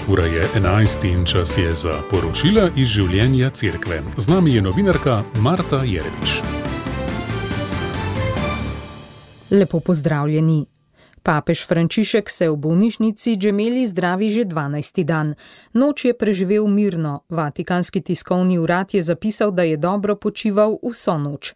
Ura je 11 in čas je za poročila iz življenja cerkve. Z nami je novinarka Marta Jerevič. Lepo pozdravljeni. Papež Frančišek se v bolnišnici Gemelli zdravi že 12. dan. Noč je preživel mirno. Vatikanski tiskovni urad je zapisal, da je dobro počival vso noč.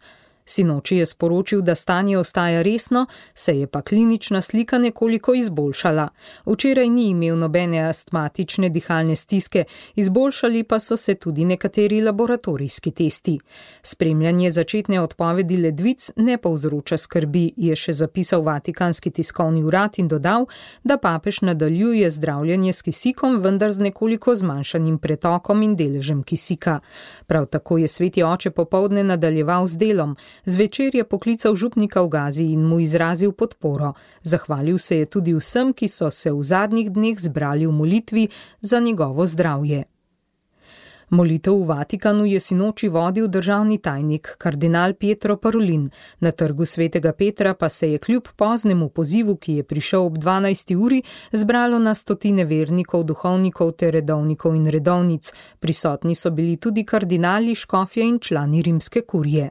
Sinoči je sporočil, da stanje ostaja resno, se je pa klinična slika nekoliko izboljšala. Včeraj ni imel nobene astmatične dihalne stiske, izboljšali pa so se tudi nekateri laboratorijski testi. Spremljanje začetne odpovedi ledvic ne povzroča skrbi, je še zapisal Vatikanski tiskovni urad in dodal, da papež nadaljuje zdravljenje s kisikom, vendar z nekoliko zmanjšanim pretokom in deležem kisika. Prav tako je sveti oče popoldne nadaljeval z delom. Zvečer je poklical župnika v Gazi in mu izrazil podporo. Zahvalil se je tudi vsem, ki so se v zadnjih dneh zbrali v molitvi za njegovo zdravje. Molitev v Vatikanu je sinoči vodil državni tajnik, kardinal Pietro Parolin. Na trgu svetega Petra pa se je kljub poznemu pozivu, ki je prišel ob 12. uri, zbralo na stotine vernikov, duhovnikov ter redovnikov in redovnic. Prisotni so bili tudi kardinali, škofje in člani rimske kurije.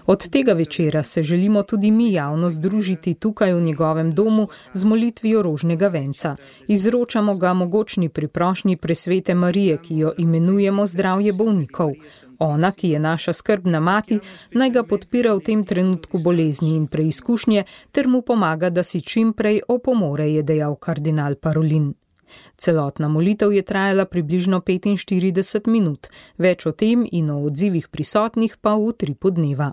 Od tega večera se želimo tudi mi javno združiti tukaj v njegovem domu z molitvijo rožnega venca. Izročamo ga mogočni priprošnji presvete Marije, ki jo imenujemo zdravje bolnikov. Ona, ki je naša skrbna mati, naj ga podpira v tem trenutku bolezni in preizkušnje ter mu pomaga, da si čim prej opomore, je dejal kardinal Parolin. Celotna molitev je trajala približno 45 minut, več o tem in o odzivih prisotnih pa v utripu dneva.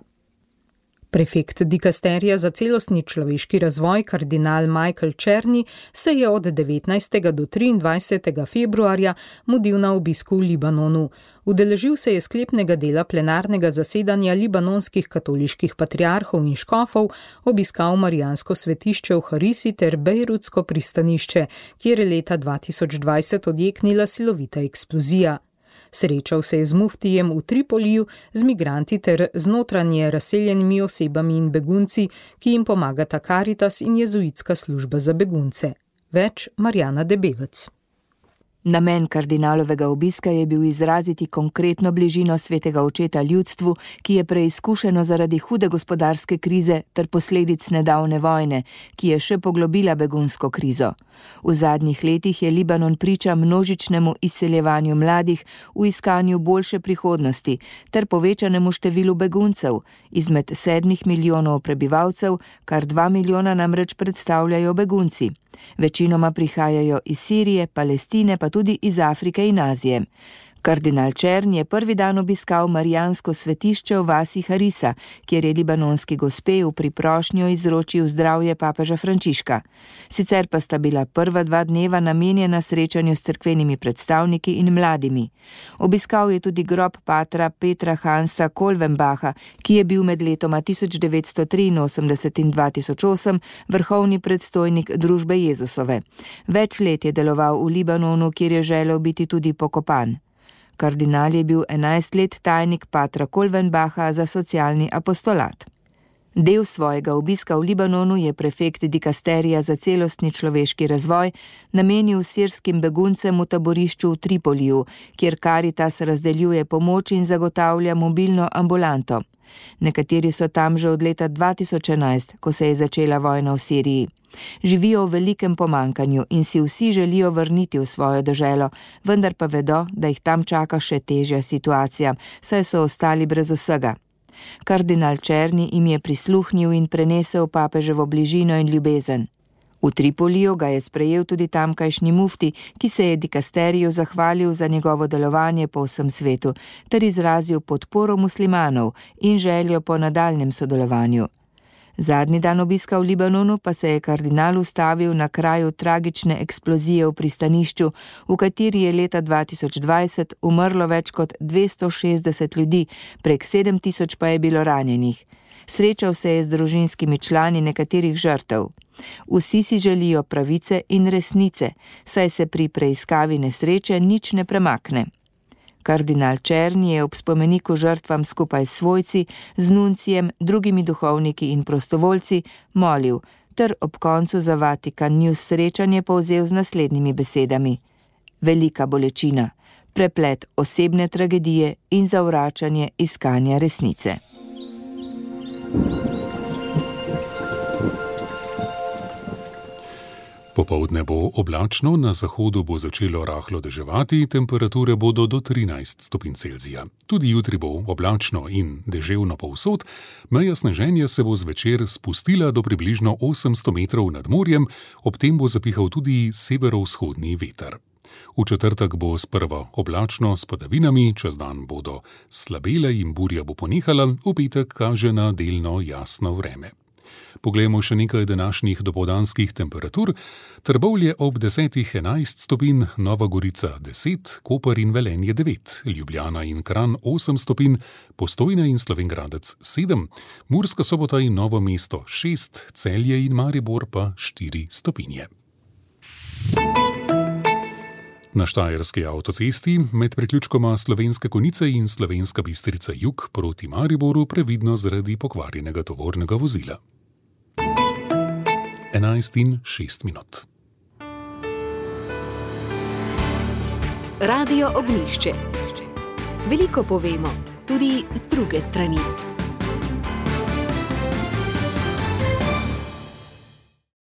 Prefekt dikasterija za celostni človeški razvoj, kardinal Michael Czerny, se je od 19. do 23. februarja mudil na obisku v Libanonu. Udeležil se je sklepnega dela plenarnega zasedanja libanonskih katoliških patriarhov in škofov, obiskal marijansko svetišče v Harisi ter bejrutsko pristanišče, kjer je leta 2020 odjeknila silovita eksplozija. Srečal se je z muftijem v Tripoliju, z migranti ter z notranje razseljenimi osebami in begunci, ki jim pomagata Karitas in jezuitska služba za begunce. Več Marjana Debevec. Namen kardinalovega obiska je bil izraziti konkretno bližino svetega očeta ljudstvu, ki je preizkušeno zaradi hude gospodarske krize ter posledic nedavne vojne, ki je še poglobila begunsko krizo. V zadnjih letih je Libanon priča množičnemu izseljevanju mladih v iskanju boljše prihodnosti ter povečanemu številu beguncev. Izmed 7 milijonov prebivalcev, kar 2 milijona namreč predstavljajo begunci. Večinoma prihajajo iz Sirije, Palestine, pa tudi iz Afrike in Azije. Kardinal Czerny je prvi dan obiskal marijansko svetišče v vasi Harisa, kjer je libanonski gospe v priprošnjo izročil zdravje papeža Frančiška. Sicer pa sta bila prva 2 dneva namenjena srečanju s cerkvenimi predstavniki in mladimi. Obiskal je tudi grob patra Petra Hansa Kolvenbacha, ki je bil med letoma 1983 in 2008 vrhovni predstojnik družbe Jezusove. Več let je deloval v Libanonu, kjer je želel biti tudi pokopan. Kardinal je bil 11 let tajnik patra Kolvenbacha za socialni apostolat. Del svojega obiska v Libanonu je prefekt dikasterija za celostni človeški razvoj namenil sirskim beguncem v taborišču v Tripoliju, kjer Karitas razdeljuje pomoč in zagotavlja mobilno ambulanto. Nekateri so tam že od leta 2011, ko se je začela vojna v Siriji. Živijo v velikem pomanjkanju in si vsi želijo vrniti v svojo deželo, vendar pa vedo, da jih tam čaka še težja situacija, saj so ostali brez vsega. Kardinal Czerny jim je prisluhnil in prenesel papeževo bližino in ljubezen. V Tripoliju ga je sprejel tudi tamkajšnji mufti, ki se je dikasteriju zahvalil za njegovo delovanje po vsem svetu, ter izrazil podporo muslimanov in željo po nadaljnjem sodelovanju. Zadnji dan obiska v Libanonu pa se je kardinal ustavil na kraju tragične eksplozije v pristanišču, v kateri je leta 2020 umrlo več kot 260 ljudi, prek 7000 pa je bilo ranjenih. Srečal se je z družinskimi člani nekaterih žrtev. Vsi si želijo pravice in resnice, saj se pri preiskavi nesreče nič ne premakne. Kardinal Czerny je ob spomeniku žrtvam skupaj s svojci, z nuncijem, drugimi duhovniki in prostovoljci molil: ter ob koncu za Vatikan News srečanje povzel z naslednjimi besedami: velika bolečina, preplet osebne tragedije in zavračanje iskanja resnice. Popoldne bo oblačno, na zahodu bo začelo rahlo deževati, temperature bodo do 13 stopinj Celzija. Tudi jutri bo oblačno in deževno povsod, meja sneženja se bo zvečer spustila do približno 800 metrov nad morjem, ob tem bo zapihal tudi severovzhodni veter. V četrtek bo sprva oblačno s padavinami, čez dan bodo slabele in burja bo ponehala, v petek kaže na delno jasno vreme. Poglejmo še nekaj današnjih dopoldanskih temperatur. Trbovlje ob 10-11 stopinj, Nova Gorica 10, Koper in Velenje 9, Ljubljana in Kranj 8 stopinj, Postojna in Slovenj Gradec 7, Murska Sobota in Novo mesto 6, Celje in Maribor pa 4 stopinje. Na Štajerski avtocesti med priključkoma Slovenske Konjice in Slovenska Bistrica jug proti Mariboru previdno zaradi pokvarjenega tovornega vozila. 11:06. Radio Ognjišče. Veliko povemo, tudi z druge strani.